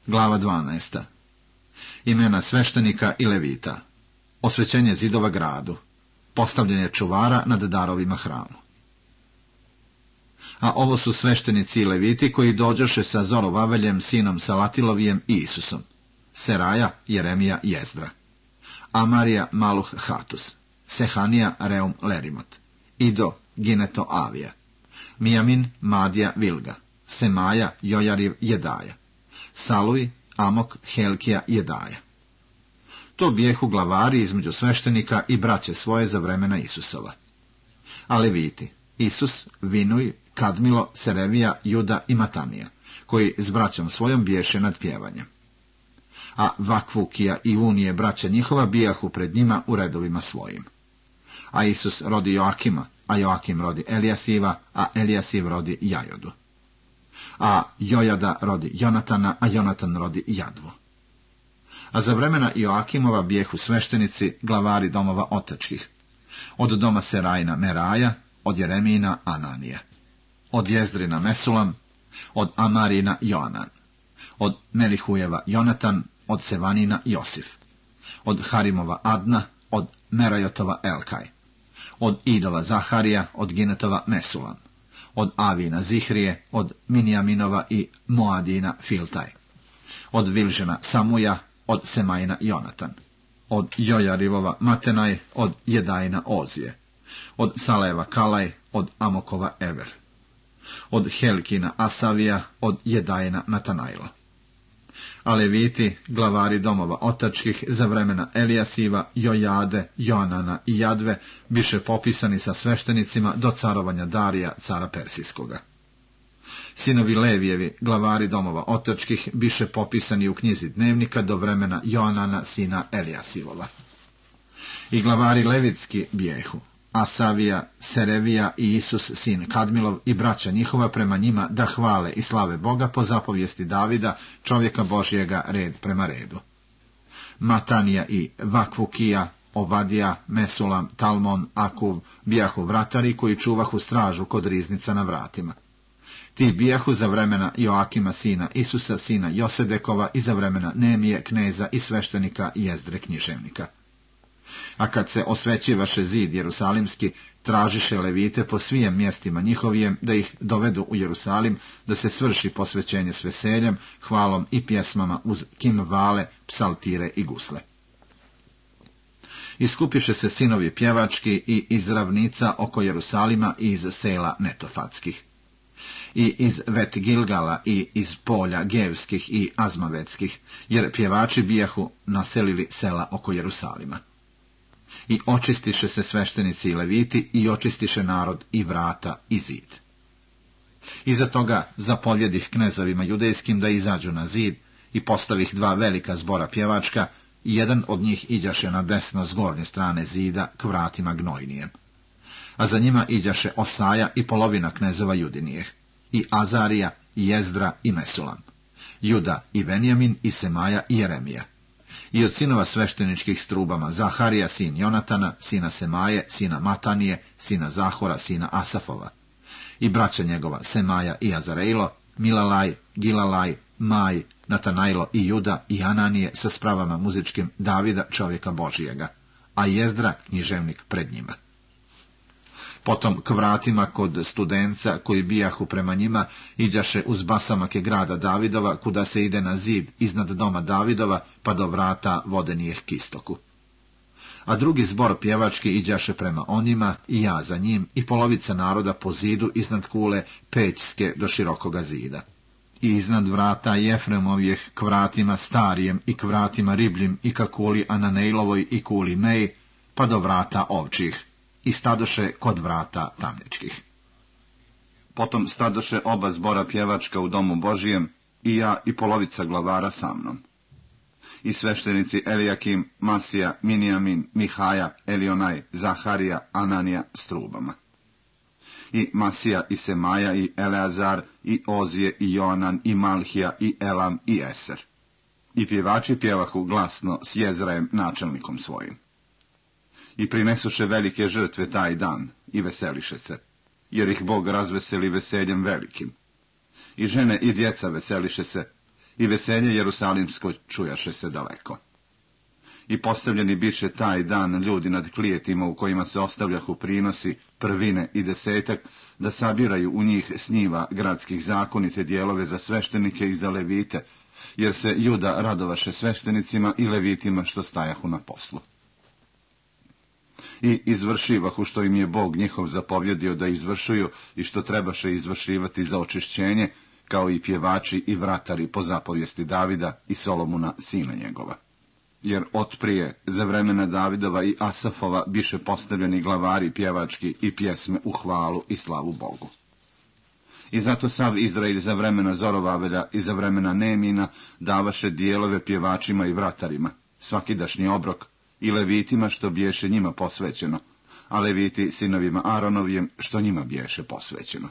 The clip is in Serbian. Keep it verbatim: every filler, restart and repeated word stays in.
Glava dvanaesta. Imena sveštenika i levita. Osvećenje zidova gradu. Postavljanje čuvara nad darovima hramu. A ovo su sveštenici i leviti koji dođoše sa Zorovaveljem, sinom Salatilovijem i Isusom. Seraja, Jeremija, Jezdra. Amarija, Maluh, Hatus. Sehanija, Reum, Lerimot. Ido, Gineto, Avija. Mijamin, Madija, Vilga. Semaja, Jojariv, Jedaja. Saluj, Amok, Helkija, Jedaja. To bijehu glavari između sveštenika i braće svoje za vremena Isusova. A leviti, Isus, Vinuj, Kadmilo, Serevija, Juda i Matanija, koji s braćom svojom biješe nad pjevanjem. A Vakvukija i Unije, braća njihova, bijahu pred njima u redovima svojim. A Isus rodi Joakima, a Joakim rodi Elijasiva, a Elijasiv rodi Jajodu. A Jojada rodi Jonatana, a Jonatan rodi Jadvu. A za vremena Joakimova bijehu sveštenici, glavari domova otačkih. Od doma Serajina Meraja, od Jeremijina Ananija. Od Jezdrina Mesulam, od Amarina Joanan. Od Melihujeva Jonatan, od Sevanina Josif. Od Harimova Adna, od Merajotova Elkaj. Od Idova Zaharija, od Ginetova Mesulam. Od Avina Zihrije, od Minijaminova i Moadina Filtaj. Od Vilžena Samuja, od Semajina Jonatan. Od Jojarivova Matenaj, od Jedajna Ozije. Od Saleva Kalaj, od Amokova Ever. Od Helkina Asavija, od Jedajna Natanajla. A leviti, glavari domova otačkih, za vremena Elijasiva, Jojade, Joanana i Jadve, biše popisani sa sveštenicima do carovanja Darija, cara Persijskoga. Sinovi Levijevi, glavari domova otačkih, biše popisani u knjizi dnevnika do vremena Joanana, sina Elijasivova. I glavari levitski bijehu, Asavija, Serevija i Isus, sin Kadmilov, i braća njihova prema njima da hvale i slave Boga po zapovijesti Davida, čovjeka Božjega, red prema redu. Matanija i Vakvukija, Ovadija, Mesulam, Talmon, Akuv, bijahu vratari koji čuvahu stražu kod riznica na vratima. Ti bijahu za vremena Joakima, sina Isusa, sina Josedekova, i za vremena Nemije, kneza i sveštenika Jezdre, književnika. A kad se osvećivaše zid Jerusalimski, tražiše levite po svijem mjestima njihovijem da ih dovedu u Jerusalim, da se svrši posvećenje s veseljem, hvalom i pjesmama uz kimvale, psaltire i gusle. Iskupiše se sinovi pjevački i iz ravnica oko Jerusalima i iz sela Netofatskih. I iz Vet Gilgala i iz polja Gevskih i Azmavetskih, jer pjevači bijahu naselili sela oko Jerusalima. I očistiše se sveštenici i leviti, i očistiše narod i vrata i zid. Iza toga zapovjedih knezovima judejskim da izađu na zid, i postavih dva velika zbora pjevačka, i jedan od njih iđaše na desno s gornje strane zida k vratima Gnojnijem. A za njima iđaše Osaja i polovina knezova Judinijeh, i Azarija, i Jezdra, i Mesulam, Juda i Venjamin, i Semaja i Jeremija. I od sinova svešteničkih strubama Zaharija, sin Jonatana, sina Semaje, sina Matanije, sina Zahora, sina Asafova. I braća njegova Semaja i Azarejlo, Milalaj, Gilalaj, Maj, Natanajlo i Juda i Ananije sa spravama muzičkim Davida, čovjeka Božijega, a Jezdra, književnik, pred njima. Potom k vratima kod studenca koji bijahu prema njima iđaše uz basamake grada Davidova, kuda se ide na zid iznad doma Davidova, pa do vrata vodenijeh k istoku. A drugi zbor pjevački iđaše prema onima, i ja za njim, i polovica naroda po zidu iznad kule Pećske do širokoga zida. I iznad vrata Jefremovijeh k vratima Starijem i k vratima Ribljim i ka kuli Ananejlovoj i kuli Mej, pa do vrata Ovčih, i stadoše kod vrata Tamničkih. Potom stadoše oba zbora pjevačka u domu Božijem, i ja i polovica glavara sa mnom. I sveštenici Elijakim, Masija, Minijamin, Mihaja, Elionaj, Zaharija, Ananija s trubama. I Masija, i Semaja, i Eleazar, i Ozije, i Joanan, i Malhija, i Elam, i Eser. I pjevači pjevahu glasno s Jezrajem, načelnikom svojim. I prinesuše velike žrtve taj dan, i veseliše se, jer ih Bog razveseli veseljem velikim. I žene i djeca veseliše se, i veselje Jerusalimsko čujaše se daleko. I postavljeni biše taj dan ljudi nad klijetima u kojima se ostavljahu prinosi, prvine i desetak, da sabiraju u njih s njiva gradskih zakonite dijelove za sveštenike i za levite, jer se Juda radovaše sveštenicima i levitima što stajahu na poslu. I izvršivahu što im je Bog njihov zapovjedio da izvršuju i što trebaše izvršivati za očišćenje, kao i pjevači i vratari po zapovijesti Davida i Solomuna sina njegova. Jer otprije za vremena Davidova i Asafova biše postavljeni glavari pjevački i pjesme u hvalu i slavu Bogu. I zato sav Izrael za vremena Zorovavelja i za vremena Nemina davaše dijelove pjevačima i vratarima, svakidašnji obrok, i levitima što biješe njima posvećeno, a leviti sinovima Aronovijem što njima biješe posvećeno.